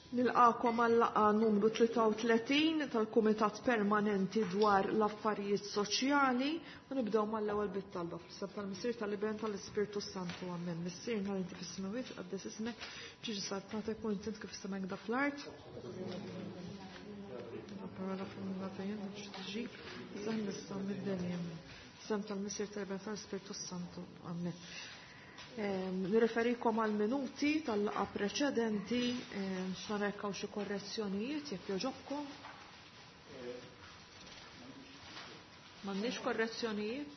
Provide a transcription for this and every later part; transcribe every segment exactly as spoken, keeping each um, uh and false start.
Nilqakom għal-laqgħa numru tlieta u tletin tal-Kumitat Permanenti dwar l-Affarijiet Soċjali u nibdew mal-ewwel bit-talba fl-isem tal-Missier, tal-Iben, tal-Ispirtu Santu. Amen. Missierna li inti fis-smewwiet, tqaddes ismek, tiġi saltnatek u inti kif is-sema fl-art. Parola fil-minn Sem tal-Missier, tal-Iben, tal-Ispirtu Santu. Amen. Nirreferikom għal minuti tal-laqgħa preċedenti, x'narek hawn xi korrezzjonijiet jekk jogħġobkom. M'għandniex korrezzjonijiet?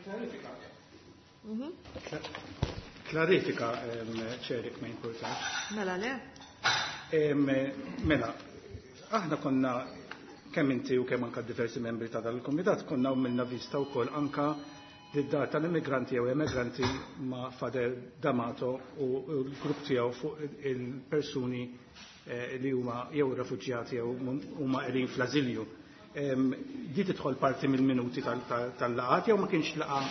Klarifika. Klarifika, ċerik ma jimpurtax. Mela le? Mela, aħna konna kemm inti u kemm anka diversi membri ta' dal-kumitat konna għamilna vista wkoll anka lid-dar tal-immigranti jew emigranti ma' Father D'Amato u l-grupp tiegħu fuq il-persuni li huma jew refuġjati jew huma qegħdin fl-ażilju. Di tidħol parti mill-minuti tal-laqgħat jew ma kienx laqgħa?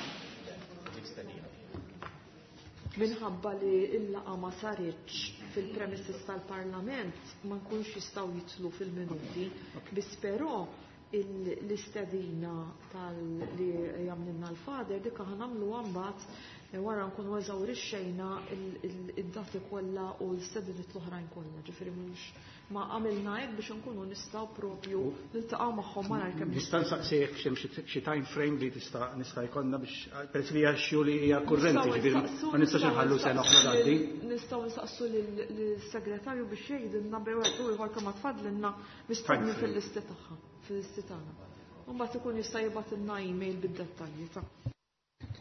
Minħabba li l-laqgħa ma saritx fil-premises tal-Parlament ma nkunx jistgħu jitlu fil-minuti, biss però l-istedina tal-li jagħmlilna l-Father dik aħna nagħmluha mbagħad wara nkunu eżawrixxejna id-dati kollha u l-istediniet l-oħrajn kollha, ġifieri mhux ma għamilna hekk biex nkunu nistgħu propju niltaqgħu magħhom malajr kemm Nista' nsaqsi jekk hemm xi time frame li tista' nista' jkollna biex peress li hija xju li hija kurrenti, ġifieri ma nistax inħallu sena oħra tgħaddi. Nistgħu nsaqsu lill-segretarju biex jgħidilna bejn wieħed u ieħor kemm tfadlilna mistenni fil-listi tagħha, fil-listi tagħna. U mbagħad ikun jista' jibgħatilna email bid-dettalji ta'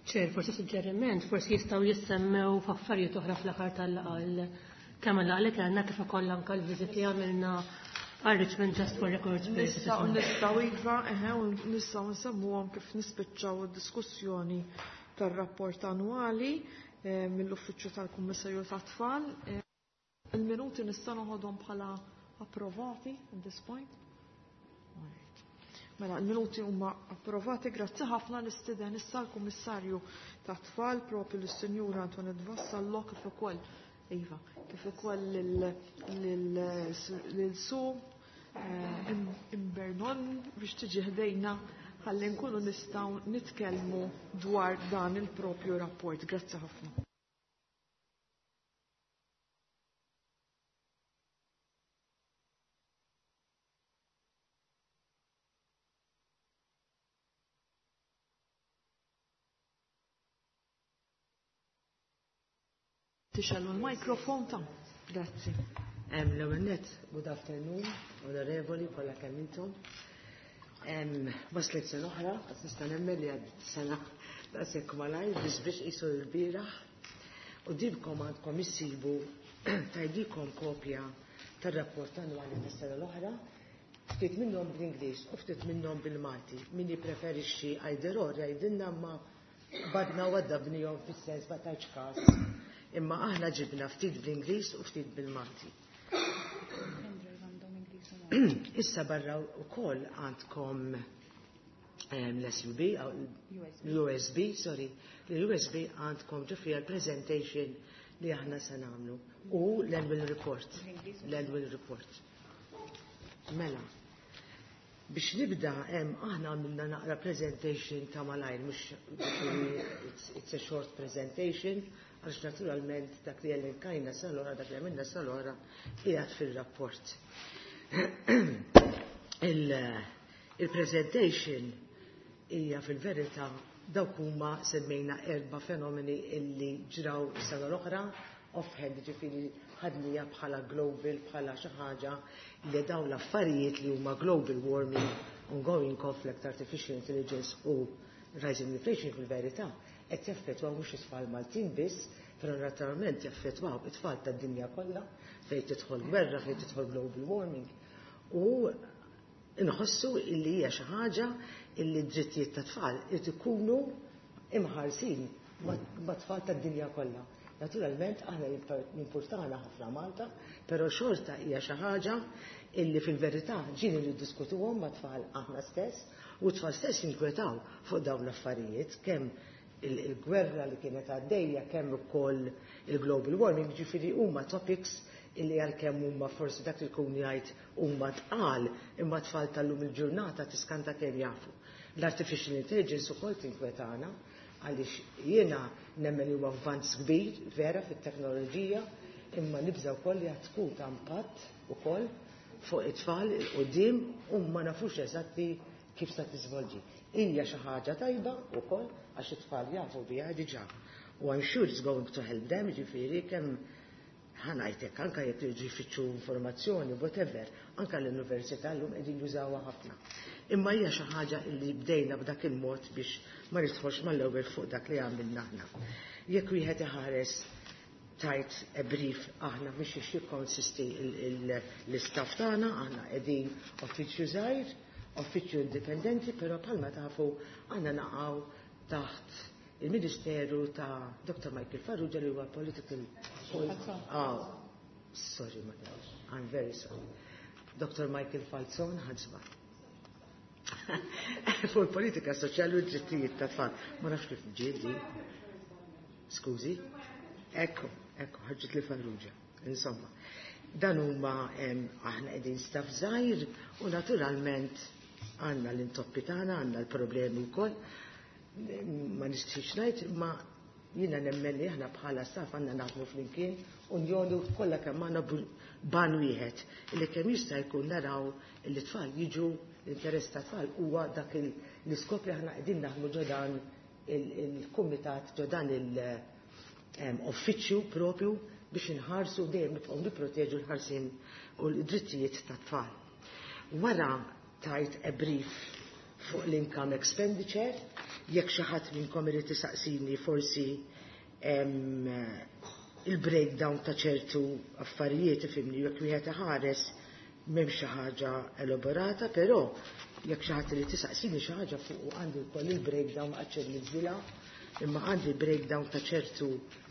Ċer, forsi suġġeriment, forsi jistgħu jissemmew f'affarijiet oħra fl-aħħar tal-laqgħa kemm laqgħa li kellna kif ukoll anke l-viżit li għamilna għal Richmond just for records purposes. Nistgħu nistgħu iva, eħe, u nistgħu nsemmuhom kif nispiċċaw id-diskussjoni tar-rapport annwali mill-Uffiċċju tal-Kummissarju tat-Tfal. Il-minuti nista' noħodhom bħala approvati at this point. Mela, il-minuti huma approvati, grazzi ħafna l-istiden issa l-Kummissarju tat-Tfal propju lis-Sinjura Antoinette Vassallo kif ukoll Iva, kif ukoll lil Su Imbernon biex tiġi ħdejna ħalli nkunu nistgħu nitkellmu dwar dan il-propju rapport. Grazzi ħafna. Tixellu l-mikrofon ta'. Grazzi. L-ewwel nett, good afternoon, onorevoli kollha kemm intom. Waslet sena oħra, qed nista' nemmen li għad sena daqshekk malajr biex biex qisu l-bieraħ. Quddiemkom għandkom issibu tajdikom kopja tar-rapport annwali tas-sena l-oħra, ftit minnhom bl-Ingliż u ftit minnhom bil-Malti. Min jippreferixxi either or jgħidilna ma badna u għaddabnihom fis-sens ma tajtx każ. Imma aħna ġibna ftit bl-Ingliż u ftit bil-Malti. Issa barra wkoll għandkom l-S U B, l-U S B, sorry, l-U S B għandkom ġo fiha l-presentation li aħna se nagħmlu u l-annual report. L-annual report. Mela, biex nibda hemm aħna għamilna naqra presentation ta' malajr, mhux it's, it's a short presentation, għax naturalment dak li elenkajna sal-ora, dak li għamilna sal-ora, qiegħed fil-rapport. Il-presentation hija fil-verità dawk huma semmejna erba' fenomeni illi ġraw sena l-oħra, offhand, ġifieri ħadnija bħala global, bħala xi ħaġa li dawn l-affarijiet li huma global warming, ongoing conflict, artificial intelligence u rising inflation fil-verità qed jaffettwaw mhux it-tfal Maltin biss, però naturalment jaffettwaw it-tfal tad-dinja kollha fejn tidħol gwerra, fejn tidħol global warming. U nħossu illi hija xi ħaġa illi d-drittijiet tat-tfal irid ikunu imħarsin mat-tfal tad-dinja kollha. Naturalment aħna jimpurtana ħafna Malta, però xorta hija xi ħaġa illi fil-verità ġieli niddiskutuhom mat-tfal aħna stess, u t-tfal stess jinkwetaw fuq dawn l-affarijiet, kemm il-gwerra li kienet għaddejja, kemm ukoll il-global warming, ġifieri huma topics illi għalkemm huma forsi dak li jkun jgħid huma tqal, imma tfal tal-lum il-ġurnata tiskanta kemm jafu. L-artificial intelligence ukoll tinkwetana, għaliex jiena nemmen li huwa avvanz kbir vera fit-teknoloġija, imma nibża wkoll li għad tkun ta' impatt ukoll fuq it-tfal 'il quddiem u ma nafux eżatti kif se tiżvolġi. Hija xi ħaġa tajba wkoll għax it-tfal jafu biha diġà. U I'm sure it's going to help them, ġifieri kemm ħa ngħidlek anke jekk jiġu jfittxu informazzjoni, whatever, anke l-università llum qegħdin jużawha ħafna. Imma hija xi ħaġa li bdejna b'dak il-mod biex ma nidħolx mal-ewwel fuq dak li għamilna aħna. Jekk wieħed iħares tajt a brief aħna biex jikkonsisti l-istaff tagħna, aħna qegħdin uffiċċju żgħir, uffiċċju indipendenti, però bħalma tafu aħna naqgħu taħt il-Ministeru ta' Doctor Michael Farrugia li huwa political. Oh, sorry, madam, I'm very sorry. Doctor Michael Falzon ħadsba. Fuq il-politika soċjali u d-drittijiet ta' tfal. Ma nafx kif ġieli. Skużi? Ekku, ekku, ħarġet li Farrugia. Insomma, dan huma aħna qegħdin staff żgħir u naturalment għandna l-intoppi tagħna, għandna l-problemi wkoll. Ma nistix ngħid, ma jiena nemmen li aħna bħala staff għandna naħdmu flimkien unjoni kollha kemm għandna ban wieħed li kemm jista' jkun naraw li tfal jiġu l-interess ta' tfal huwa dak l-iskop li aħna qegħdin naħdmu ġo dan il-kumitat, ġo dan il-uffiċċju propju biex inħarsu dejjem nibqgħu nipproteġu l-ħarsien u l-drittijiet ta' tfal. Wara tajt a brief fuq l-income expenditure, jekk xi ħadd minnkom irid isaqsini forsi il-breakdown ta' ċertu affarijiet, ifhimni, jekk wieħed iħares m'hemm xi ħaġa elaborata, però jekk xi ħadd irid isaqsini xi ħaġa fuq għandi wkoll il-breakdown għaċ imma għandi breakdown ta' ċertu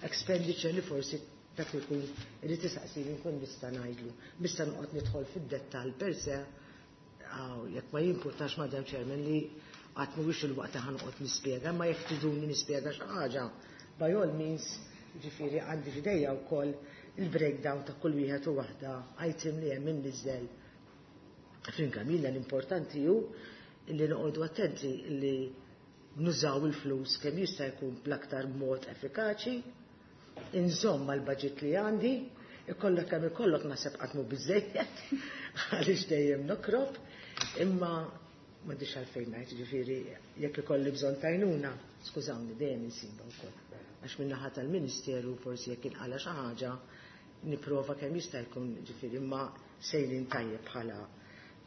expenditure li forsi dak li jkun irid isaqsini nkun nista' ngħidlu. Nista' noqgħod nidħol fid-dettall per se, jekk ma jimpurtax, Madam Chairman, li għad mhuwiex il-waqt ħa noqgħod nispjega, ma jekk triduni nispjega xi ħaġa, by all means, ġifieri għandi f'idejja wkoll il-breakdown ta' kull wieħed u waħda item li hemm imniżżel fl-income. L-importanti hu li noqogħdu attenti li nużaw il-flus kemm jista' jkun bl-aktar mod effikaċi, inżomm mal-budget li għandi, ikollok kemm ikollok naħseb qatt mhu biżejjed għaliex dejjem nokrob, imma m'għandix għalfejn ngħid, ġifieri jekk ikolli bżonn tajnuna, skużawni, dejjem insiba wkoll. Għax min-naħa tal-Ministeru forsi jekk inqala xi ħaġa nipprova kemm jista' jkun, ġifieri imma sejrin tajjeb bħala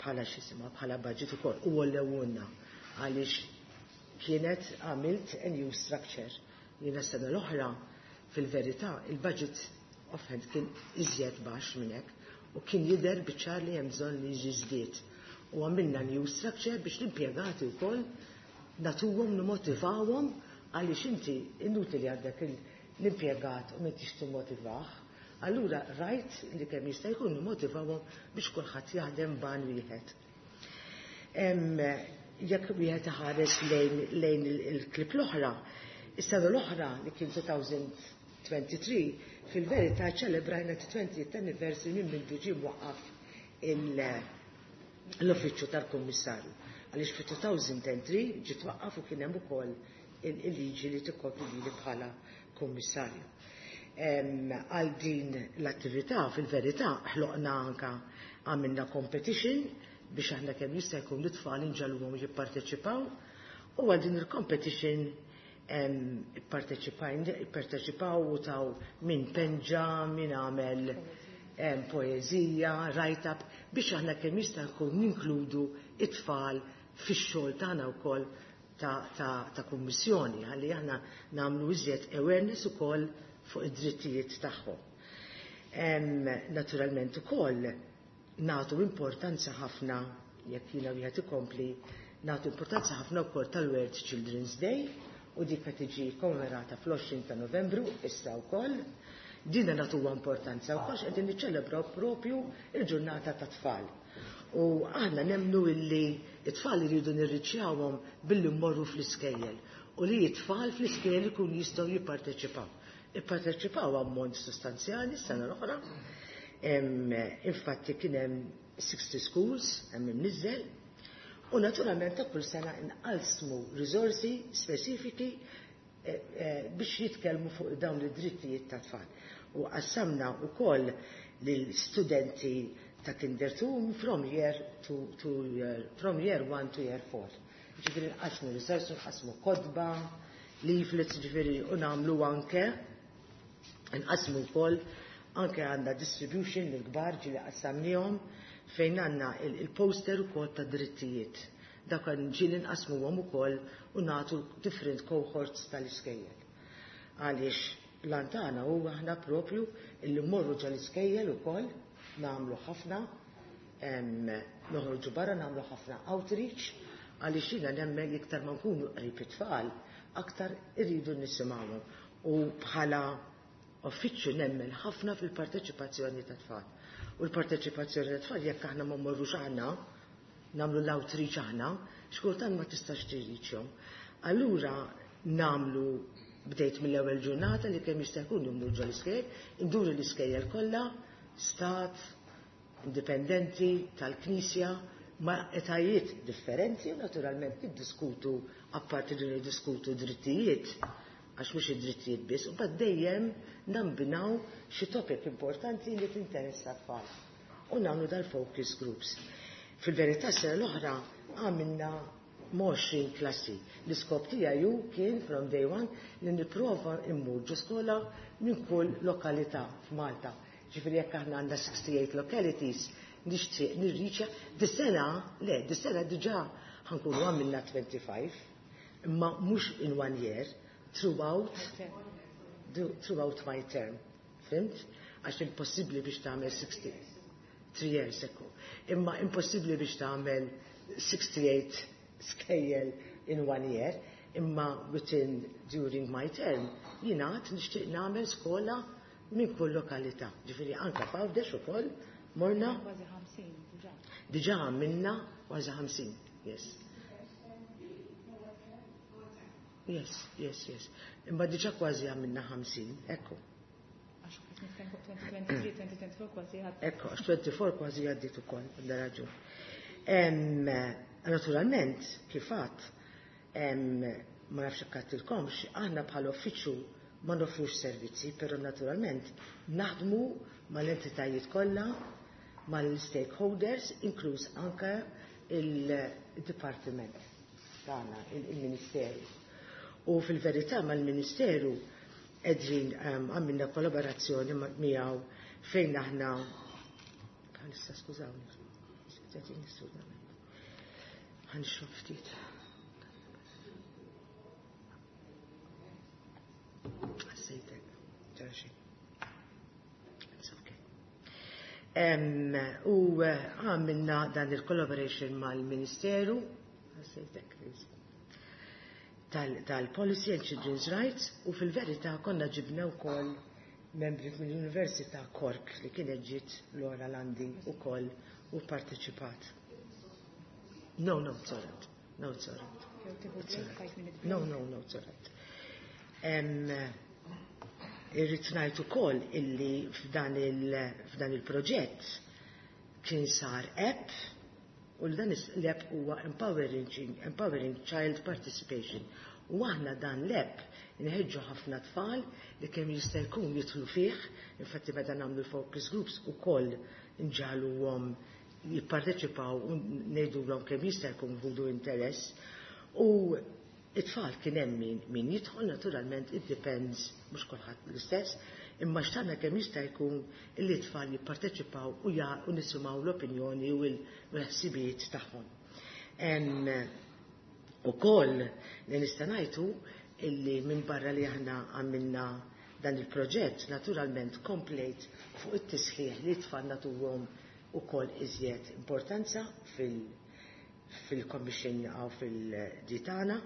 bħala x'jisimha bħala budget ukoll u għollewulna għaliex kienet għamilt a new structure. Jiena sena l-oħra fil-verità il-budget offhand kien iżjed baxx minn hekk u kien jidher biċ-ċar li hemm bżonn li jiġi żdied. U għamilna new structure biex l-impjegati wkoll nagħtuhom, nimmotivawhom, għaliex inti inutili għandek l-impjegat u m'intix timmotivah. Allura rajt li kemm jista' jkun nimmotivawhom biex kulħadd jaħdem ban wieħed. Jekk wieħed iħares lejn lejn il-klip l-oħra, is-sena l-oħra li kien twenty twenty-three, fil-verità ċelebrajna twentieth anniversary minn mindu ġie mwaqqaf l-uffiċċju tal-Kummissarju. Għaliex fi two thousand and three ġie twaqqaf u kien hemm ukoll il-liġi li tikkopri lili bħala kummissarju. Għal din l-attività fil-verità ħloqna anka għamilna competition biex aħna kemm jista' jkun l-tfal inġegħluhom jipparteċipaw u għal din il-competition ipparteċipaw u taw min penġa, min għamel poezija, write-up, biex aħna kemm jista' jkun ninkludu it-tfal fix-xogħol tagħna wkoll ta', ta, ta' kummissjoni, ħalli aħna nagħmlu iżjed awareness ukoll fuq id-drittijiet tagħhom. Naturalment ukoll nagħtu importanza ħafna, jekk jiena wieħed ikompli, nagħtu importanza ħafna wkoll tal-World Children's Day u dik qed tiġi kommemorata fl-għoxrin ta' Novembru issa wkoll. Dina nagħtuha importanza wkoll qegħdin niċċelebraw propju il-ġurnata ta' tfal. U aħna nemnu illi it-tfal iridu nirriċjawhom billi mmorru fl-iskejjel. U li it-tfal fl-iskejjel ikun jistgħu jipparteċipaw. Ipparteċipaw ammont sostanzjali s-sena l-oħra. Infatti kien hemm sixty schools hemm imniżżel. U naturalment ta' kull sena nqalsmu riżorsi speċifiki eh, eh, biex jitkellmu fuq dawn id-drittijiet ta' tfal. U qassamna wkoll lill-studenti ta' Kinder two from year to, to year, from year one to year four. Ġifieri nqasmu risorsi, nqasmu kotba, leaflets, ġifieri u nagħmlu anke nqasmu wkoll anke għandna distribution lill-kbar ġieli qassamnihom fejn għandna il-poster ukoll ta' drittijiet. Dak ġieli nqasmuhom ukoll u nagħtu different cohorts tal-iskejjel. Għaliex l-antana huwa aħna propju illi mmorru ġo l-iskejjel ukoll nagħmlu ħafna, noħorġu barra nagħmlu ħafna outreach, għaliex jiena nemmen iktar ma nkunu qrib it-tfal, aktar irridu nisimgħuhom. U bħala uffiċċju nemmen ħafna fil-parteċipazzjoni ta' tfal. U l-parteċipazzjoni ta' tfal jekk aħna ma mmorrux aħna, nagħmlu l-outreach aħna, xkultant ma tistax tirriċjhom. Allura nagħmlu bdejt mill-ewwel ġurnata li kemm jista' jkun immur ġo l-iskejjel, induru l-iskejjel kollha, stat, indipendenti, tal-Knisja, ma' etajiet differenti, u naturalment niddiskutu, apparti li niddiskutu drittijiet, għax mhux id-drittijiet biss, u bad dejjem nambinaw xi topic importanti li tinteressa t-tfal. U nagħmlu dal-focus groups. Fil-verità sena l-oħra għamilna għoxrin klassi. L-iskop tiegħi ju kien from day one li nipprova immur ġo skola minn kull lokalità f'Malta. Ġifieri jekk aħna għandna sixty-eight localities, nixtieq nirriċja. Dis-sena, le, dis-sena diġà ħankunu għamilna twenty-five, imma mhux in one year, throughout, throughout my term. Fimt? Għax impossibbli biex tagħmel sixty, three years ago. Imma impossibbli biex tagħmel sixty-eight skejjel in one year, imma within during my term jiena għad nixtieq nagħmel skola minn kull lokalità. Ġifieri anke f'Għawdex ukoll morna Kważi ħamsin diġà. Diġà għamilna kważi ħamsin, yes. Yes, yes, yes. Imma diġà kważi għamilna ħamsin, ekku. Għax qed nitkellmu fuq twenty twenty-three, twenty twenty-four kważi għad. Ekku, għax twenty-four kważi għaddiet ukoll, għandha raġun. Em, naturalment, kif għadt, em, ma nafx hekk għadtilkomx, aħna bħala uffiċċju ma nofrux servizzi, però naturalment naħdmu mal-entitajiet kollha, mal-stakeholders, inkluż anke il-dipartiment tagħna, il-Ministeru. U fil-verità mal-Ministeru qegħdin, em, għamilna kollaborazzjoni ma-, miegħu fejn aħna bħalissa, skużawni, qegħdin nistudament. Ħanixrob ftit. Ħassejtek, ġara xejn. It's okay. Em, u, eh, għamilna dan il-collaboration mal-Ministeru, ħassejtek, please, tal-, tal-Policy and Children's Rights, u fil-verità konna ġibna wkoll membri mill-Università Cork li kienet ġiet Laura Landi wkoll u parteċipat. No, no, it's all right. No, it's all right. It's all right. No, no, no, it's all right. Em, irrid ngħid ukoll illi f'dan il-, f'dan il-proġett kien sar app, u dan is-, l-app huwa empowering, empowering Child Participation. U aħna dan l-app inħeġġu ħafna tfal li kemm jista' jkun jidħlu fih, infatti meta nagħmlu focus groups ukoll nġagħluhom jipparteċipaw u ngħidulhom kemm jista' jkun ħudu interess. U it-tfal kien hemm min, min jidħol, naturalment it depends, mhux kulħadd l-istess, imma xtaqna kemm jista' jkun li t-tfal jipparteċipaw u ja-, u nisimgħu l-opinjoni u l-ħsibijiet tagħhom. Em, ukoll li nista' ngħidu illi minn barra li aħna għamilna dan il-proġett, naturalment komplejt fuq it-tisħiħ li t-tfal nagħtuhom ukoll iżjed importanza fil-, fil-Commission għaw fil-ditana,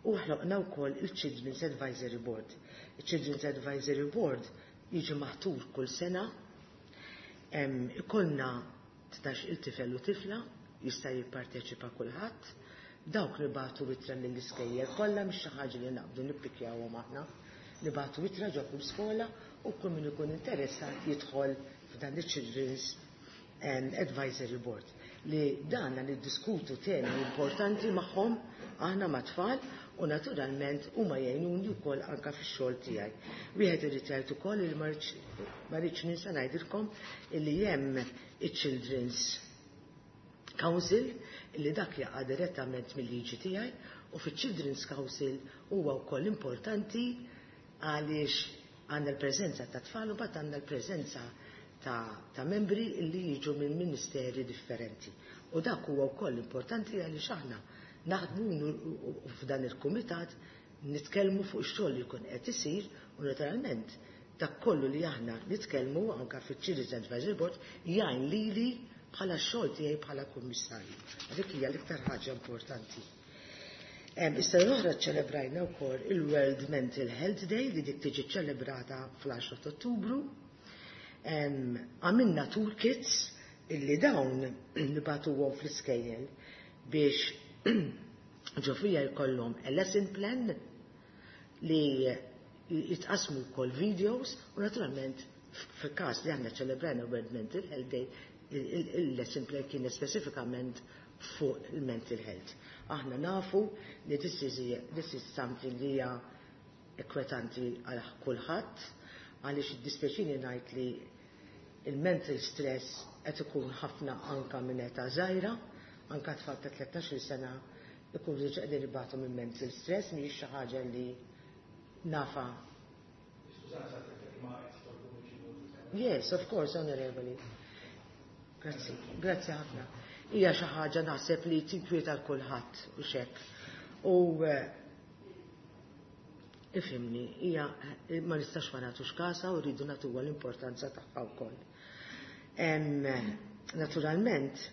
u ħloqna wkoll il-Children's Advisory Board. Il-Children's Advisory Board jiġi maħtur kull sena, em, ikollna tnax il-tifel u tifla, jista' jipparteċipa kulħadd, Dawk nibagħtu ittra lill-iskejjel kollha, mhix xi ħaġa li naqbdu nippikjawhom aħna. Nibagħtu ittra ġo kull skola u kull min ikun interessat jidħol f'dan il-Children's Advisory Board, li danna niddiskutu temi importanti magħhom aħna mat-tfal u naturalment huma jgħinuni wkoll anka fix-xogħol tiegħi. Wieħed irid jgħid ukoll li ma rridx ninsa ngħidilkom illi hemm iċ-Children's Council, li dak jaqa' direttament mill-liġi tiegħi, u fiċ-Children's Council huwa wkoll importanti għaliex għandna l-preżenza ta' tfal u mbagħad għandna l-preżenza ta', ta membri li jiġu minn ministeri differenti. U dak huwa wkoll importanti għaliex aħna naħdmu f'dan il-kumitat, nitkellmu fuq ix-xogħol li jkun qed isir u naturalment dak kollu li aħna nitkellmu anka fiċ-Children's Advisory Board jgħin lili bħala x-xogħol tiegħi bħala kummissarju. Dik hija l-iktar ħaġa importanti. Issa l-oħra ċelebrajna wkoll il-World Mental Health Day, li dik tiġi ċelebrata fl-għaxra ta' Ottubru. Għamilna toolkits illi dawn nibagħtuhom fl-iskejjel biex ġo fija jkollhom a lesson plan li jitqasmu wkoll videos u naturalment fil-każ li aħna ċelebrajna World Mental Health Day, il-lesson plan kien specifikament fuq il-mental health. Aħna nafu li this is, this is something li hija inkwetanti għal kulħadd, għaliex id-dispjaċini ngħid li il-mental stress qed ikun ħafna anka minn età żgħira, anka tfal ta' tlettax-il sena ikunu diġà qegħdin ibatu minn mental stress, mhijiex xi ħaġa li nafa. Yes, of course, onorevoli. Grazzi, grazzi ħafna. Hija xi ħaġa naħseb li tinkwieta l kulħadd u xek. U eh, ifhimni, hija ma nistax ma nagħtux kasa u rridu nagħtuha l-importanza tagħha wkoll. Naturalment,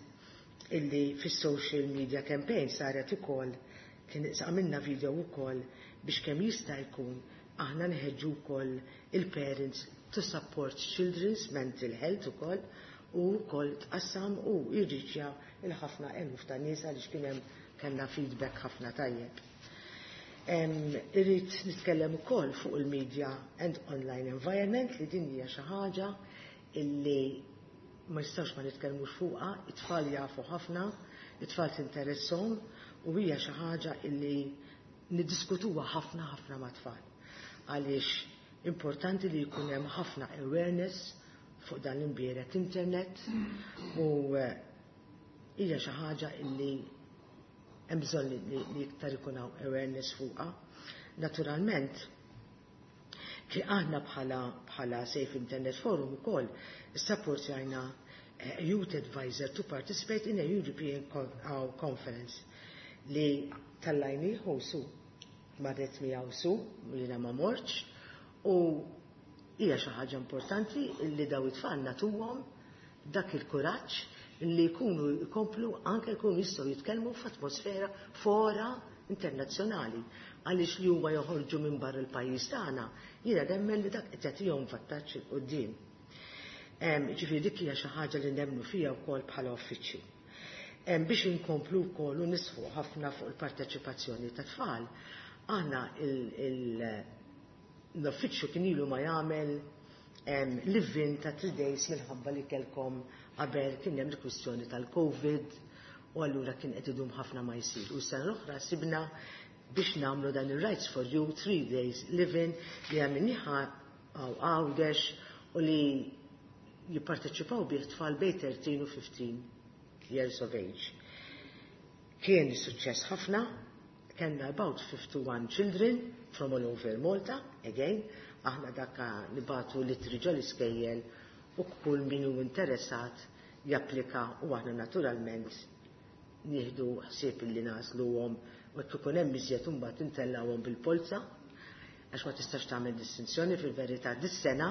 illi fis-social media campaign saret ukoll, kien għamilna video ukoll biex kemm jista' jkun aħna nħeġġu wkoll il-parents to support children's mental health ukoll, u wkoll tqassam u jirriċja il-ħafna eluf ta' nies għaliex kien hemm kellna feedback ħafna tajjeb. Irrid nitkellem ukoll fuq il-media and online environment, li din hija xi ħaġa illi ma nistgħux ma nitkellmux fuqha, it-tfal jafu ħafna, it-tfal tinteresshom u hija xi ħaġa illi niddiskutuha ħafna ħafna mat-tfal. Għaliex importanti li jkun hemm ħafna awareness fuq dan l-imbierek internet u eh, hija xi ħaġa illi hemm bżonn li, li iktar ikun hawn awareness fuqha. Naturalment, ki aħna bħala bħala Safe Internet Forum ukoll issapportjajna eh, Youth Advisor to participate in a European Conference li tellajnieh u su marret miegħu su, jiena ma mortx, u hija xi ħaġa importanti li daw it-tfal nagħtuhom dak il-kuraġġ li jkunu jkomplu anke jkunu jistgħu jitkellmu f'atmosfera fora internazzjonali, għaliex li huma joħorġu minn barra l-pajjiż tagħna, jiena nemmen li dak qed jagħtihom vantaġġ 'il quddiem. Ġifieri dik hija xi ħaġa li nemmnu fiha wkoll bħala uffiċċju. Biex inkomplu wkoll u nisħu ħafna fuq il-parteċipazzjoni ta' tfal, aħna l-uffiċċju kien ilu ma jagħmel live-in ta' three days minħabba li kellkom qabel kien hemm il-kwistjoni tal-Covid u allura kien qed idum ħafna ma jsir. U s-sena l-oħra sibna biex nagħmlu dan il-Rights for You three days live-in li għamilniha għaw Għawdex u li jipparteċipaw bih tfal bejn thirteen u fifteen years of age. Kien suċċess ħafna, kellna about fifty-one children from all over Malta, again, aħna dakka nibagħtu l-ittri ġol iskejjel u kull min hu interessat japplika u aħna naturalment nieħdu ħsieb li nagħżluhom u jekk ikun hemm iżjed imbagħad intellgħuhom bil-polza, għax ma tistax tagħmel distinzjoni fil-verità. Dis-sena,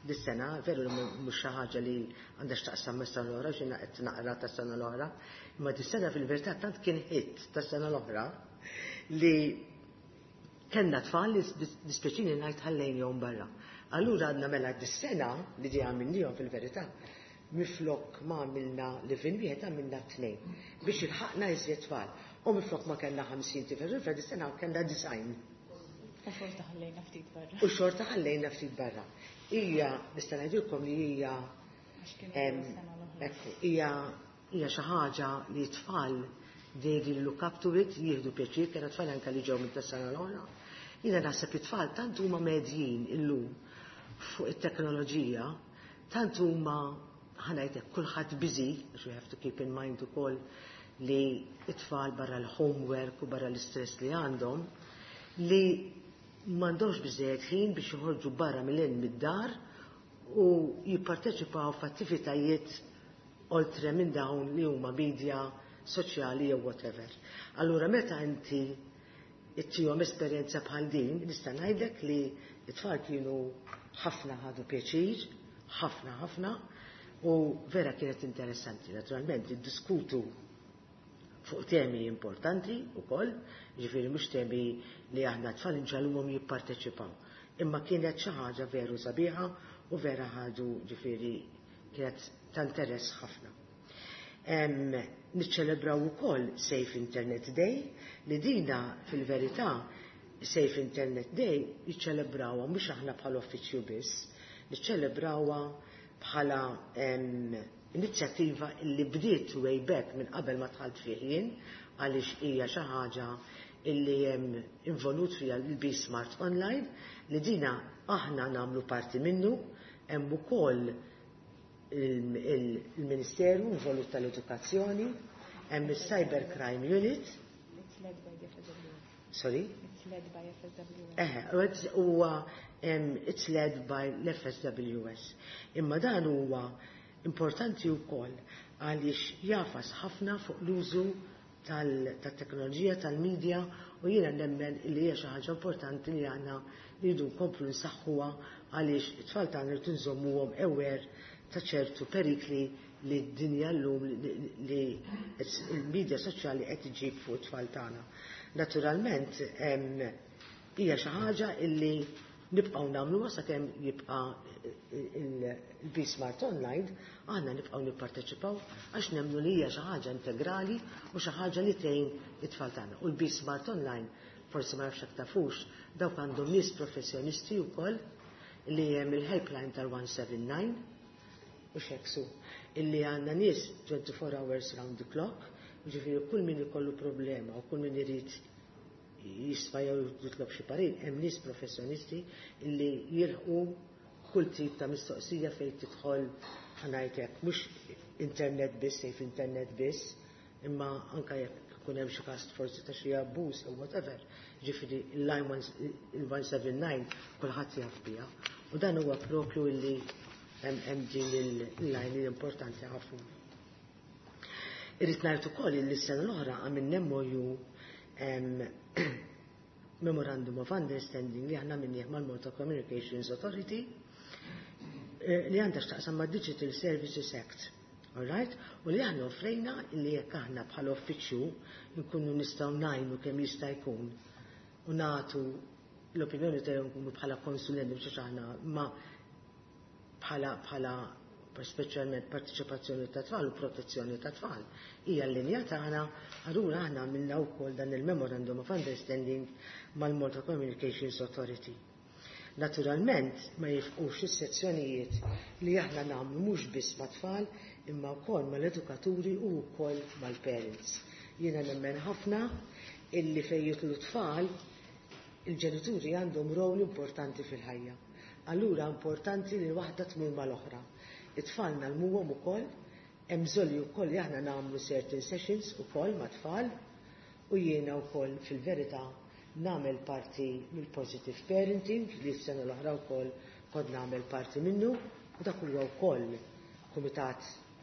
dis-sena, veru li mhux xi ħaġa li għandha x'taqsam mas-sena l-oħra, x'jiena qed naqra tas-sena l-oħra, imma dis-sena fil-verità tant kien hit tas-sena l-oħra li kellna tfal li dispjaċini ngħid ħallejnihom barra. Allura għadna mela dis-sena li di għamilnihom fil-verità, miflok ma għamilna live-in wieħed, għamilna tnejn biex ilħaqna iżjed tfal. U minflok ma kellna ħamsin tifel u tifla, dis-sena kellna disgħin. U xorta ħallejna ftit barra. U xorta ħallejna ftit barra. Hija, nista' ngħidilkom li hija Għax kienu s-sena l-oħra. Ekku, hija hija xi ħaġa li t-tfal they really look up to it, jieħdu pjaċir, kena tfal anka li ġew minn sena l-oħra. Jiena naħseb it-tfal tant huma medjin illum fuq it-teknoloġija, tant huma, ħa ngħidlek, kulħadd busy, għax we have to keep in mind ukoll li it-tfal barra l-homework u barra l-istress li għandhom, li m'għandhomx biżejjed ħin biex joħorġu barra mill mid-dar u jipparteċipaw f'attivitajiet oltre minn dawn li huma media soċjali jew whatever. Allura meta inti ittihom esperjenza bħal din, nista' ngħidlek li t-tfal kienu ħafna ħadu pjaċir, ħafna ħafna, u vera kienet interessanti. Naturalment, diskutu fuq temi importanti ukoll, ġifieri mhux temi li aħna tfal inġagħluhom jipparteċipaw. Imma kienet xi ħaġa veru sabiħa u vera ħadu, ġifieri kienet ta' interess ħafna. Niċċelebraw ukoll Safe Internet Day, li dina fil-verità Safe Internet Day jiċċelebrawha mhux aħna bħala uffiċċju biss, niċċelebrawha bħala inizjattiva li bdiet way back minn qabel ma dħalt fih jien, għaliex hija xi ħaġa illi hemm involut fiha l-Be Smart Online, li dina aħna nagħmlu parti minnu, hemm ukoll il-Ministeru involut tal-Edukazzjoni, hemm il-Cyber Crime Unit. It's led by the F S W S. Sorry? It's led by F S W S. Eh, huwa it's led by l-F S W S. Imma dan huwa importanti wkoll għaliex jagħfas ħafna fuq l-użu tal-teknoloġija, tal-medja, u jiena nemmen li hija xi ħaġa importanti li għandna rridu nkomplu nsaħħuha, għaliex it-tfal tagħna rridu nżommuhom aware ta' ċertu perikli li d-dinja llum li il-medja soċjali qed iġib fuq it-tfal tagħna. Naturalment hija xi ħaġa illi nibqgħu nagħmluha sakemm jibqa' il-Be Smart Online, aħna nibqgħu nipparteċipaw għax nemmnu li hija xi ħaġa integrali u xi ħaġa li tgħin it-tfal tagħna. U l-Be Smart Online, forsi ma nafx jekk tafux, dawk għandhom nies professjonisti wkoll li hemm il-helpline tal-one seven nine u xeksu illi għandna nies twenty-four hours round the clock, ġifieri kull min ikollu problema u kull min irid jisfa jew jitlob xi parir, hemm nies professjonisti illi jilħqu kull tip ta' mistoqsija fejn tidħol, ħa ngħidlek, mhux internet biss, safe internet biss, imma anka jekk ikun hemm xi każ forsi ta' xi abbuż jew whatever. Ġifieri il-line il-one seven nine kulħadd jaf biha. U dan huwa propju illi hemm din il-line li importanti ħafna. Irrid ngħid ukoll li s-sena l-oħra għamilna M O U, Memorandum of Understanding, li aħna għamilnieh mal-Malta Communications Authority eh, li għandha x'taqsam ma' Digital Services Act. Alright? U li aħna offrejna li jekk aħna bħala uffiċċju nkunu nistgħu ngħinu kemm jista' jkun u nagħtu l-opinjoni tagħhom, nkunu bħala konsulenti biex aħna ma bħala bħala speċjalment partiċipazzjoni ta' tfal u protezzjoni ta' tfal. Hija l-linja tagħna, allura aħna għamilna wkoll dan il-Memorandum of Understanding mal-Malta Communications Authority. Naturalment ma jifqux is-sezzjonijiet li aħna nagħmlu mhux biss mat-tfal imma wkoll mal-edukaturi u wkoll mal-parents. Jiena nemmen ħafna illi fejn jidħlu tfal, il-ġenituri għandhom rol importanti fil-ħajja. Allura importanti li waħda tmur mal-oħra. It-tfal ngħallmuhom ukoll, hemm bżonn li wkoll li aħna nagħmlu certain sessions ukoll mat-tfal, u jiena wkoll fil-verità nagħmel parti mill-positive parenting li s-sena l-oħra wkoll kont nagħmel parti minnu, u dak huwa wkoll kumitat,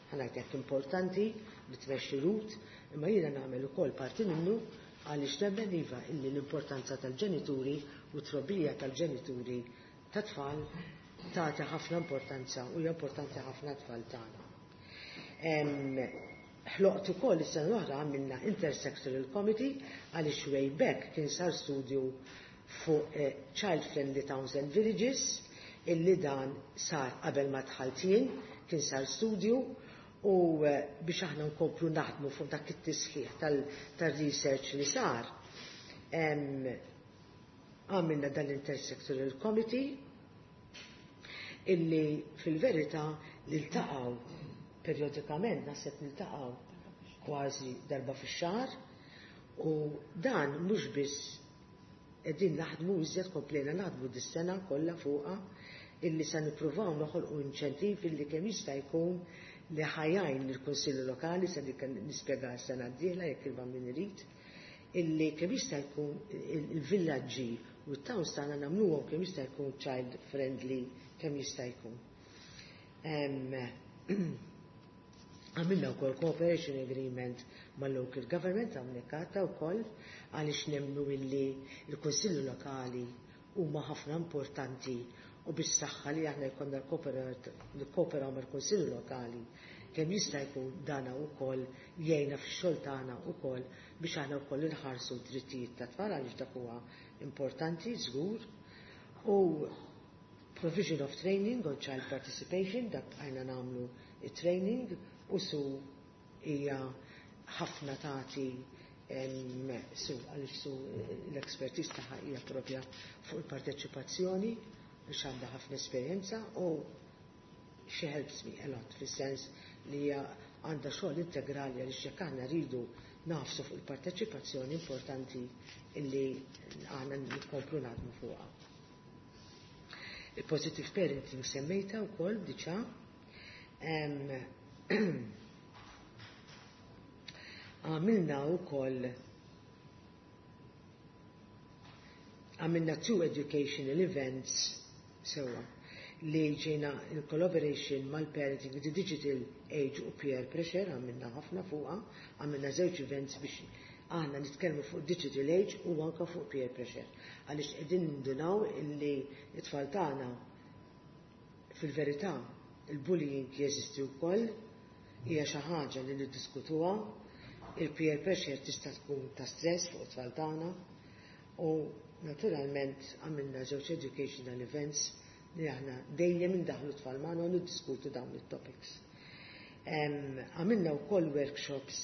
ħa ngħidlek, importanti li tmexxi Ruth, imma jiena nagħmel ukoll parti minnu għaliex nemmen iva illi l-importanza tal-ġenituri u trobbija tal-ġenituri ta' tfal tagħti ħafna importanza u hija importanti ħafna tfal tagħna. Ħloqt ukoll is-sena l-oħra, għamilna Intersectoral Committee għaliex way back kien sar studju fuq eh, Child Friendly Towns and Villages, illi dan sar qabel ma dħalt jien, kien sar studju U biex aħna nkomplu naħdmu fuq dak it-tisħiħ tal-research li sar, għamilna dal-Intersectoral Committee illi fil-verità niltaqgħu periodikament, naħseb niltaqgħu kważi darba fix-xahar, u dan mhux biss qegħdin naħdmu iżjed, komplejna naħdmu dis-sena kollha fuqha, illi se nippruvaw noħolqu inċentiv illi kemm jista' jkun li ħa jgħin il-Kunsilli Lokali, se nispjega s-sena d-dieħla jekk il-Bambin irid, illi kemm jista' jkun il-villaġġi u t-towns tagħna nagħmluhom kemm jista' jkun child friendly kemm jista' jkun. Għamilna wkoll cooperation agreement mal-local government hawnhekk għadda wkoll, għaliex nemmnu illi l-Kunsilli Lokali huma ħafna importanti u bis-saħħa li aħna jkollna nikkooperaw mal-Kunsilli Lokali kemm jista' jkun dana wkoll jgħinna fix-xogħol tagħna wkoll biex aħna wkoll inħarsu d-drittijiet tat-tfal, għaliex dak huwa importanti żgur. U provision of training on child participation, dak bqajna nagħmlu it-training, u su hija ħafna tagħti su għaliex su l-expertise tagħha hija propja fuq il-parteċipazzjoni, biex għandha ħafna esperjenza, u she helps me a lot fis-sens li hija għandha xogħol integrali, għaliex jekk aħna rridu nagħfsu fuq il-parteċipazzjoni importanti illi aħna nkomplu naħdmu fuqha. Il-positive parenting semmejta wkoll diġà. Għamilna wkoll għamilna two educational events sewwa li ġejna in collaboration mal-Parenting the Digital Age u peer pressure, għamilna ħafna fuqha, għamilna żewġ events biex aħna nitkellmu fuq Digital Age u anka fuq peer pressure. Għaliex qegħdin nindunaw illi t-tfal tagħna fil-verità il-bullying jeżisti wkoll, hija xi ħaġa li niddiskutuha, il-peer pressure tista' tkun ta' stress fuq it-tfal tagħna, u naturalment għamilna żewġ educational events li aħna dejjem indaħlu t-tfal magħna u niddiskutu dawn it-topics. Għamilna wkoll workshops,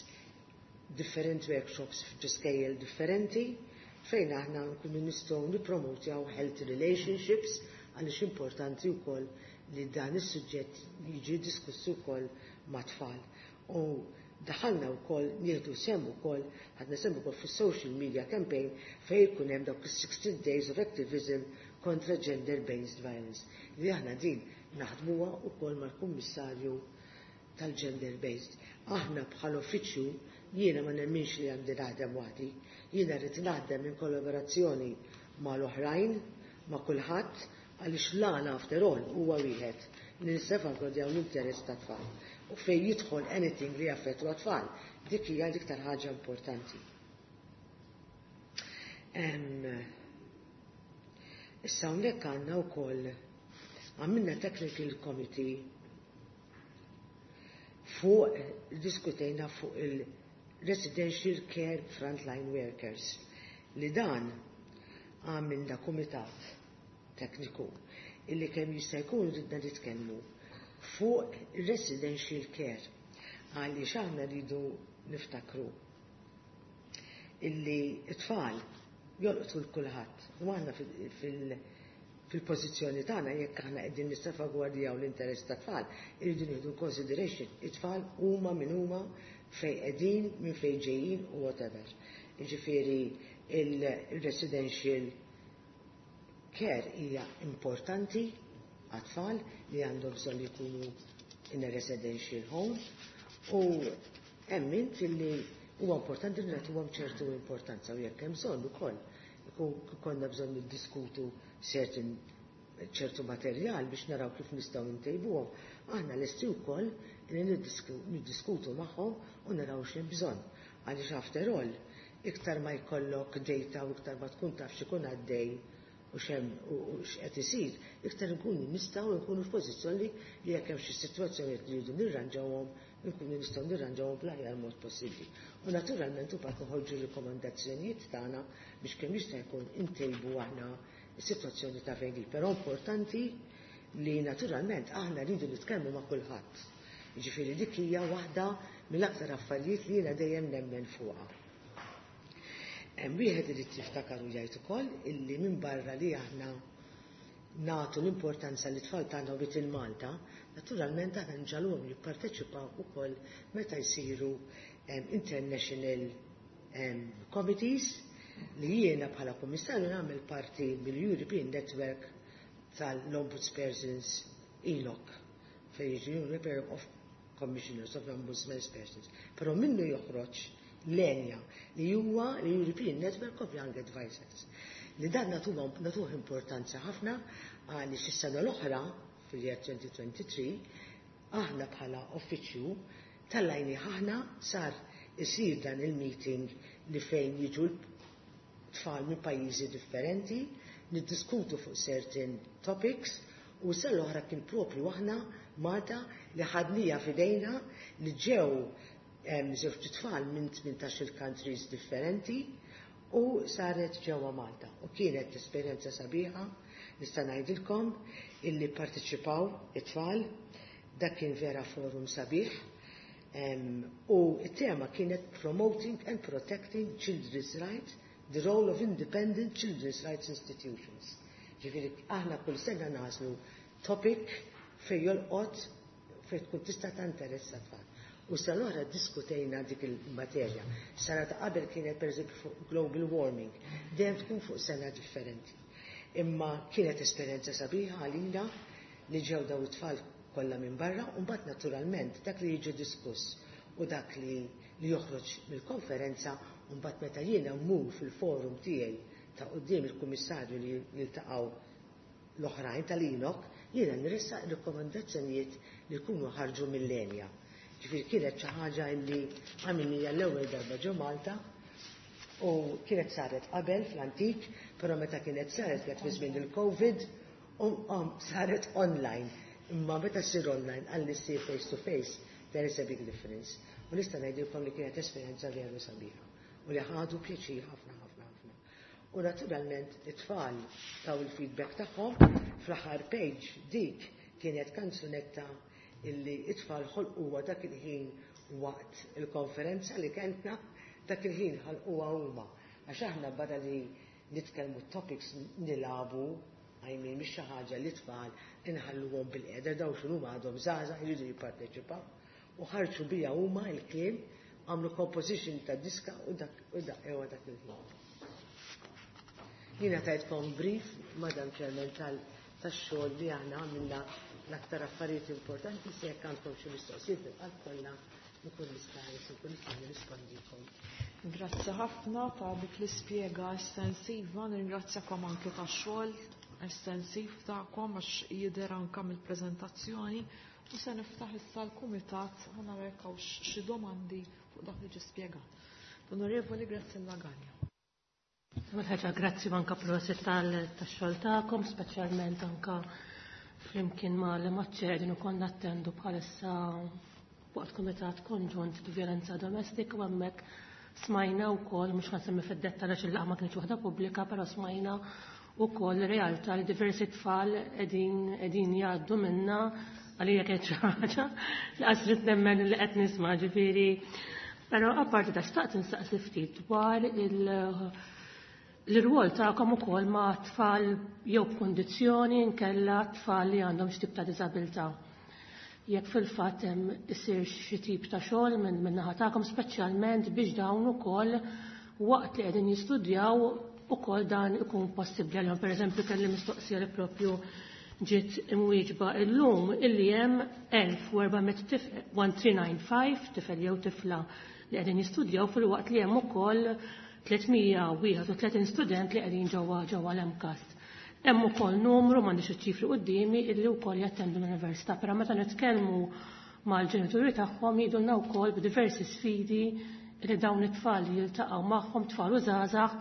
different workshops f'skejjel differenti, fejn aħna nkunu nistgħu nippromotjaw healthy relationships, għaliex importanti wkoll li dan is-suġġett jiġi diskussu wkoll mat-tfal. U daħalna wkoll nieħdu sehem ukoll, ħadna sehem ukoll fis-social media campaign fejn jkun hemm dawk is-sixteen days of activism kontra gender-based violence. Li aħna din naħdmuha wkoll mal-Kummissarju tal-gender-based. Aħna bħal uffiċċju jiena ma nemminx li għandi naħdem waħdi, jiena rrid naħdem in kollaborazzjoni mal-oħrajn, ma' kulħadd, għaliex l-għana after all huwa wieħed li nissalvagwardjaw l-interess tat-tfal. U fejn jidħol anything li jaffettwa tfal, dik hija l-iktar ħaġa importanti. Issa hawnhekk għandna wkoll għamilna technical committee fuq diskutejna fuq il-residential care frontline workers, li dan għamilna kumitat tekniku illi kemm jista' jkun ridna nitkellmu fuq residential care, għaliex aħna rridu niftakru illi t-tfal jolqtu l-kulħadd, u aħna fil-pożizzjoni tagħna jekk aħna qegħdin nissalvagwardjaw l-interess tat-tfal, irridu nieħdu consideration it-tfal huma min huma, fejn qegħdin, minn fejn ġejjin u whatever. Jiġifieri il-residential care hija importanti għat-tfal li għandhom bżonn jkunu in a residential home, u emmint illi huwa importanti li nagħtuhom ċertu importanza, u jekk hemm bżonn ukoll ikun konna bżonn niddiskutu certain ċertu materjal biex naraw kif nistgħu ntejbuhom, aħna lesti wkoll li niddiskutu magħhom u naraw x'hemm bżonn. Għaliex after all, iktar ma jkollok data u iktar ma tkun taf x'ikun għaddej u x'hemm u x'qed isir, iktar nkunu nistgħu nkunu f'pożizzjoni li jekk hemm xi sitwazzjonijiet li rridu nirranġawhom, nkunu nistgħu nirranġawhom bl-aħjar mod possibbli. U naturalment imbagħad noħorġu rikomandazzjonijiet tagħna biex kemm jista' jkun intejbu aħna s-sitwazzjoni ta' fejn hi. Però importanti li naturalment aħna rridu nitkellmu ma' kulħadd. Jiġifieri dik hija waħda mill-aktar affarijiet li jiena dejjem nemmen fuqha. Hemm wieħed irid jiftakar u jgħid ukoll illi minn barra li aħna nagħtu l-importanza li tfal tagħna u il-Malta, naturalment aħna nġagħluhom jipparteċipaw ukoll meta jsiru international committees li jiena bħala kummissarju nagħmel parti mill-European Network tal-Ombudspersons E N O C, fejn jiġi European of Commissioners of Ombudsman Persons. Però minnu joħroġ l-ENYA, li huwa l-European Network of Young Advisors. Li dan natuh importanza ħafna għaliex is-sena l-oħra, fil-year twenty twenty-three, aħna bħala uffiċċju tal-lajni aħna sar isir dan il-meeting li fejn jiġu tfal minn pajjiżi differenti, niddiskutu fuq certain topics, u sena l-oħra kien propju aħna Malta li ħadnieha f'idejna, li ġew żewġ tfal minn tmintax-il countries differenti u saret ġewwa Malta. U kienet esperjenza sabiħa, nista' ngħidilkom illi parteċipaw it-tfal, dak kien vera forum sabiħ. U it-tema kienet "Promoting and Protecting Children's Rights, the Role of Independent Children's Rights Institutions". Ġifieri, aħna kull sena nagħżlu topic fej jolqot, fej tkun tista' ta' tfal. U sal-oħra diskutejna dik il-materja. Sena ta' qabel kienet, per eżempju, fuq global warming. Dejjem tkun fuq sena differenti. Imma kienet esperjenza sabiħa għalina li ġew daw it-tfal kollha minn barra, u mbagħad naturalment dak li jiġi diskuss u dak li, li joħroġ mill-konferenza, u mbagħad meta jiena mmur fil-forum tiegħi ta' quddiem il-kummissarju li jiltaqgħu l-oħrajn tal-E N O C, jiena nressaq rekomendazzjonijiet li jkunu ħarġu mill-ENYA. Ġifieri kienet xi ħaġa li għamilnieha l-ewwel darba ġo Malta u kienet saret qabel fl-antik, però meta kienet saret kienet fi żmien il-Covid u um, saret online. Imma meta ssir online għalli ssir face to face, there is a big difference. U nista' ngħidilkom li kienet esperjenza veru sabiħa u li ħadu pjaċir ħafna ħafna ħafna. U naturalment it-tfal taw il-feedback tagħhom. Fl-aħħar page dik kienet kanzunetta illi it-tfal ħolquha dak il-ħin waqt il-konferenza li kellna, dak il-ħin ħalquha huma. Għax aħna barra li nitkellmu topics nilagħbu, I mean, mhix xi ħaġa li tfal inħalluhom bil-qiegħda, daw x'inhu għadhom żgħażagħ, jridu jipparteċipaw. U ħarġu bija huma il-kliem, għamlu composition ta' diska u dak u dak ewa dak il-ħin. Jiena tajtkom brief, Madam Chairman, tal-xogħol li aħna għamilna, l-aktar affarijiet importanti. Se jekk għandkom xi mistoqsijiet bil-qalb kollha nkun nista' nkun nista' nirrispondikom. Grazzi ħafna ta' dik l-ispjega estensiva, nirringrazzjakom anke tax-xogħol estensiv tagħkom għax jidher anke mill-preżentazzjoni, u se niftaħ issa l-kumitat ħa nara jekk hawnx xi domandi fuq dak li ġie spjegat. L-Onorevoli Graziella Gallia. Ewwel ħaġa, grazzi anka prosit tal-xogħol tagħkom, speċjalment anka flimkien ma' li maċ-chair ukoll nattendu bħalissa waqt kumitat konġunt di violenza domestika, u hemmhekk smajna wkoll, mhux nsemmi fid-dettall għax il-laqgħa ma kienx waħda pubblika, però smajna wkoll realtà li diversi tfal qegħdin qegħdin jgħaddu minna. Għalija kienet xi ħaġa li qasrit nemmen li qed nisma', ġifieri. Però apparti da, xtaqt insaqsi ftit dwar il- l-rwol tagħkom ukoll ma' tfal jew b'kundizzjoni nkella tfal li għandhom xi tip ta' diżabilità. Jekk fil-fatt hemm isir xi tip ta' xogħol minn min naħa tagħkom, speċjalment biex dawn ukoll waqt li qegħdin jistudjaw ukoll dan ikun possibbli għalihom. Pereżempju, kelli mistoqsija li propju ġiet imwieġba illum, illi hemm elf u erba' mitt tifel, elf u tliet mija u tnejn u disgħin tifel jew tifla li qegħdin jistudjaw, fil-waqt li hemm ukoll tliet mija u wieħed u tletin student li qegħdin ġewwa ġewwa l-MCAST. Hemm ukoll numru, m'għandix iċ-ċifri quddiemi, illi wkoll jattendu l-università, però meta nitkellmu mal-ġenituri tagħhom jgħidulna wkoll b'diversi sfidi li dawn it-tfal jiltaqgħu magħhom, tfal u żgħażagħ,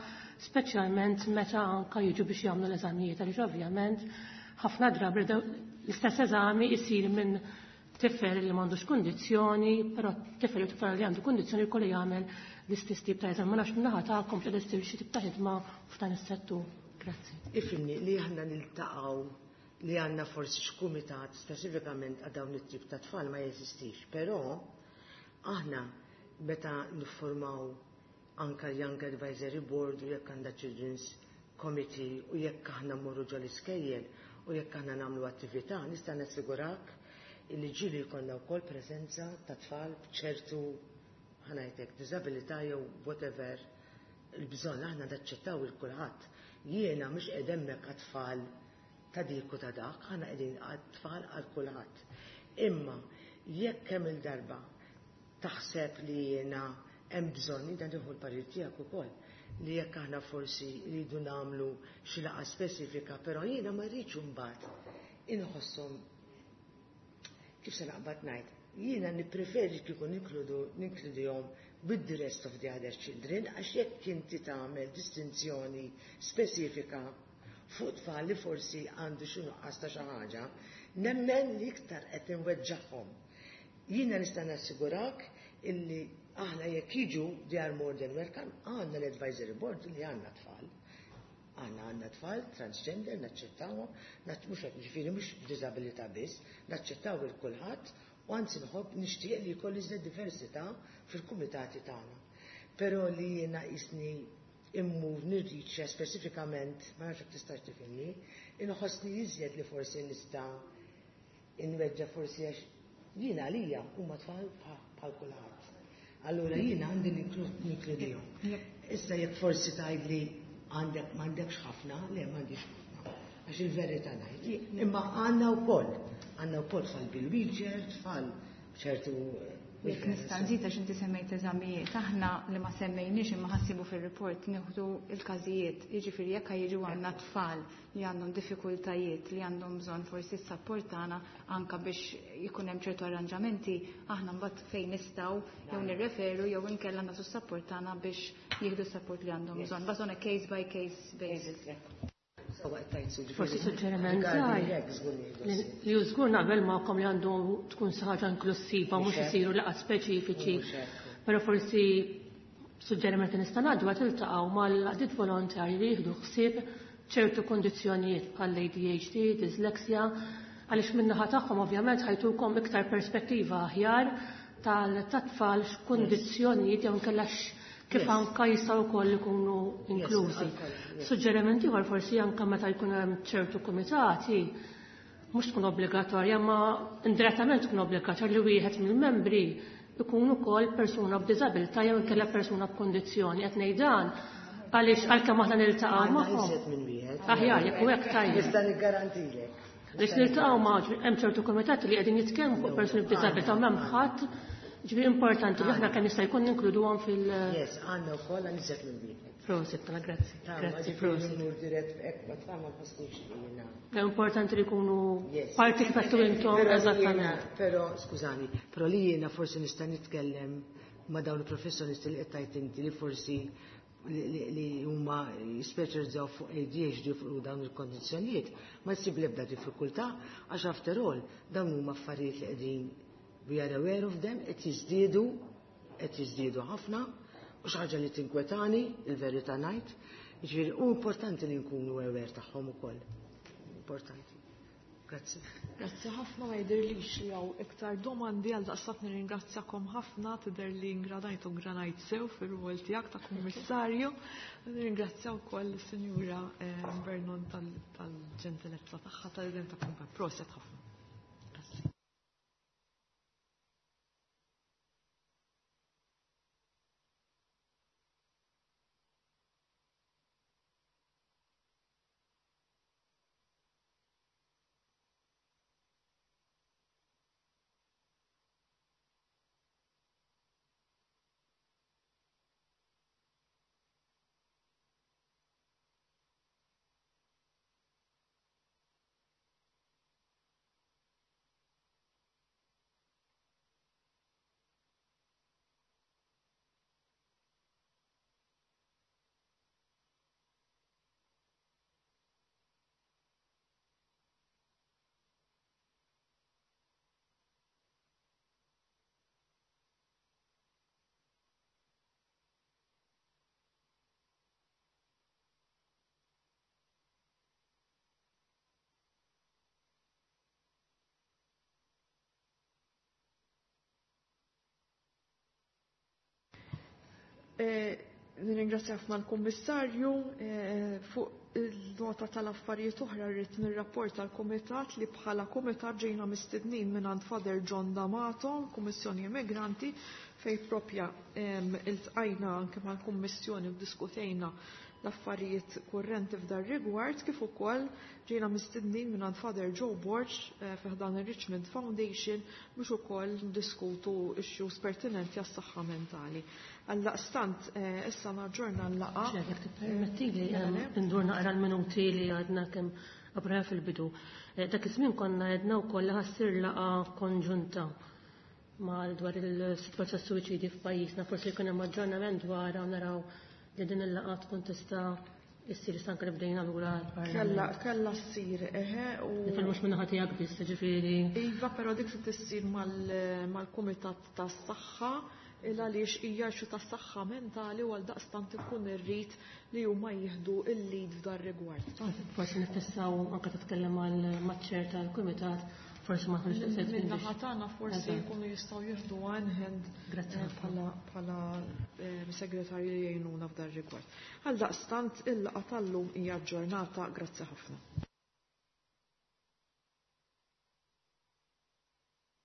speċjalment meta anka jiġu biex jagħmlu l-eżamijiet, għaliex ovvjament ħafna drabi l-istess eżami jsir minn tifel li m'għandux kundizzjoni, però tifel u tifel li għandu kundizzjoni jkollu jagħmel l-istess tip ta' eżami. Ma nafx min-naħa tagħkom x'qed issir xi tip ta' ħidma f'dan is-settur. Grazzi. Ifhimni li aħna niltaqgħu li għandna forsi x'kumitat speċifikament għal dawn it-tip ta' tfal ma jeżistix, però aħna meta niffurmaw anka Young Advisory Board u jekk għandha Children's Committee u jekk aħna mmorru ġol iskejjel u jekk aħna nagħmlu attività, nista' nassigurak illi ġieli jkollna wkoll preżenza ta' tfal b'ċertu ħa ngħidlek diżabilità jew whatever il-bżonn aħna naċċettaw il kulħadd. Jiena mhux qed hemmhekk għat-tfal ta' dik u ta' dak, aħna qegħdin għat-tfal għal kulħadd. Imma jekk kemm il-darba taħseb li jiena hemm bżonn, jiena nieħu l-parir tiegħek ukoll, li jekk aħna forsi rridu nagħmlu xi laqgħa speċifika, però jiena ma rridx imbagħad inħosshom kif se naqbad ngħid. Jiena nippreferi kieku ninkludu ninkludihom with the rest of the other children, għax jekk inti tagħmel distinzjoni speċifika fuq tfal li forsi għandu xi nuqqas ta' xi ħaġa, nemmen li iktar qed inweġġagħhom. Jiena nista' nassigurak illi aħna jekk jiġu they are more than welcome, għandna l-advisory board li għandna tfal. Għandna għandna tfal transgender, naċċettawhom, mhux qed ġifieri mhux b'diżabilità biss, naċċettaw il kulħadd u anzi nħobb nixtieq li jkolli iżjed diversità fil-kumitati tagħna. Però li jiena qisni immur nirriċċja speċifikament, ma nafx jekk tistax tifhimni, inħossni iżjed li forsi nista' inweġġa' forsi għax jiena għalija huma tfal bħal kulħadd. Allura jiena għandi ninkludihom. Issa jekk forsi tgħidli għandek m'għandekx ħafna, le m'għandix ħafna. Għax il-verità ngħid. Imma għandna wkoll, għandna wkoll tfal bil-wheelchair, tfal ċertu Jekk nista' nżid għax inti semmejt eżamijiet, aħna li ma semmejniex imma ħassibu fir-report nieħdu l-każijiet, jiġifieri jekk jiġu għandna tfal li għandhom diffikultajiet, li għandhom bżonn forsi s-sapport tagħna anke biex jkun hemm ċertu arranġamenti, aħna mbagħad fejn nistgħu jew nirreferu jew inkella nagħtu s-sapport tagħna biex jieħdu s-sapport li għandhom bżonn. But on a case by case basis. Forsi suġġeriment żgħir. Li hu żgur naqbel magħkom li għandu tkun xi ħaġa inklusiva mhux isiru laqgħat speċifiċi. Però forsi suġġeriment li nista' ngħaddu qed tiltaqgħu mal-għaqdiet volontarji li jieħdu ħsieb ċertu kondizzjonijiet bħal A D H D, dyslexia, għaliex min-naħa tagħhom ovvjament ħajtukom iktar perspettiva aħjar tal-tfal x'kundizzjonijiet jew inkella kif anka jistgħu wkoll ikunu inklużi. Suġġerimenti ieħor forsi anka meta jkun hemm ċertu kumitati mhux tkun obbligatorja, ma indirettament tkun obbligatorja li wieħed mill-membri ikun ukoll persuna b'diżabilità jew inkella persuna b'kundizzjoni. Qed ngħid dan għaliex għalkemm aħna niltaqgħu Għandna magħhom. iżjed minn wieħed. Aħjar, jekk hu hekk tajjeb. Nista' niggarantilek. Għaliex niltaqgħu ma' hemm ċertu kumitati li qegħdin jitkellmu fuq persuni b'diżabilità u m'hemm ħadd. Ġifieri importanti li aħna kemm jista' jkun ninkluduhom fil- Yes, għandna wkoll għandna iżjed minn wieħed. Prosit, mela, grazzi. Tama, Grazzi, ġifieri prosit. mmur dirett hekk ma tfal ma nħossniex li jiena. È importanti li jkunu Yes. parti kif għedtu intom, Però jiena, eżattament. Però, skużani, però li jiena forsi nista' nitkellem ma' dawn il-professjonisti li qed tgħid inti li forsi li huma jispeċjalizzaw fuq A D H D fuq dawn il-kondizzjonijiet, ma jsib l-ebda diffikultà għax after all dawn huma affarijiet li qegħdin we are aware of them, qed jiżdiedu, qed jiżdiedu ħafna, u xi ħaġa li tinkwetani, il-verità ngħid, jiġifieri hu importanti li nkunu aware tagħhom ukoll. Importanti. Grazzi. Grazzi ħafna, ma jidhirlix li hawn iktar domandi għal daqstant nirringrazzjakom ħafna, tidher li ingranajt u ngranajt sew fir-rwol tiegħek ta' kummissarju. Nirringrazzja wkoll is-Sinjura, eh, Vernon tal-, tal-ġentilezza tagħha tal-idem ta' kumpa. Proset ħafna. Grazzi. Eh, nirringrazzja ħafna l-Kummissarju eh, fuq il-nota tal-affarijiet oħra rrid nirrapport tal-Kumitat li bħala kumitat ġejna mistednin minn Father John D'Amato, Kummissjoni Immigranti, fej propja iltqajna anke mal-Kummissjoni u diskutejna l-affarijiet kurrenti f'dar rigward kif ukoll ġejna mistednin minn Father Joe Borg eh, fi ħdan ir-Richmond Foundation biex ukoll ndiskutu issues pertinenti għas-saħħa mentali. Għaldaqstant eh, issa naġġorna l-laqgħa. Jekk tippermettili ndur naqra l-minuti li għadna kemm approvajna fil-bidu. Eh, dak iż-żmien konna għedna wkoll li ħa ssir laqgħa konġunta mal dwar il-sitwazzjoni suwiċidi f'pajjiżna, forsi jkun hemm aġġornament dwar naraw li din il-laqgħa tkun tista' issir anke li bdejna lura l-Parlament. Kella kella ssir eħe u Nifhem mhux min-naħa tiegħek biss, ġifieri. Iva, però dik se tissir mal-Kumitat tas-Saħħa il għaliex hija xu tas-saħħa mentali u għaldaqstant ikun irrid li huma jieħdu il-lead f'dar rigward. Forsi nifissaw anke titkellem mal-chair tal-kumitat, forsi ma tkunx daqshekk. Min-naħa tagħna forsi jkunu jistgħu jieħdu one hand Grazzi bħala bħala segretarji li jgħinuna f'dar rigward. Għaldaqstant il-laqgħa tal-lum hija ġġornata, grazzi ħafna.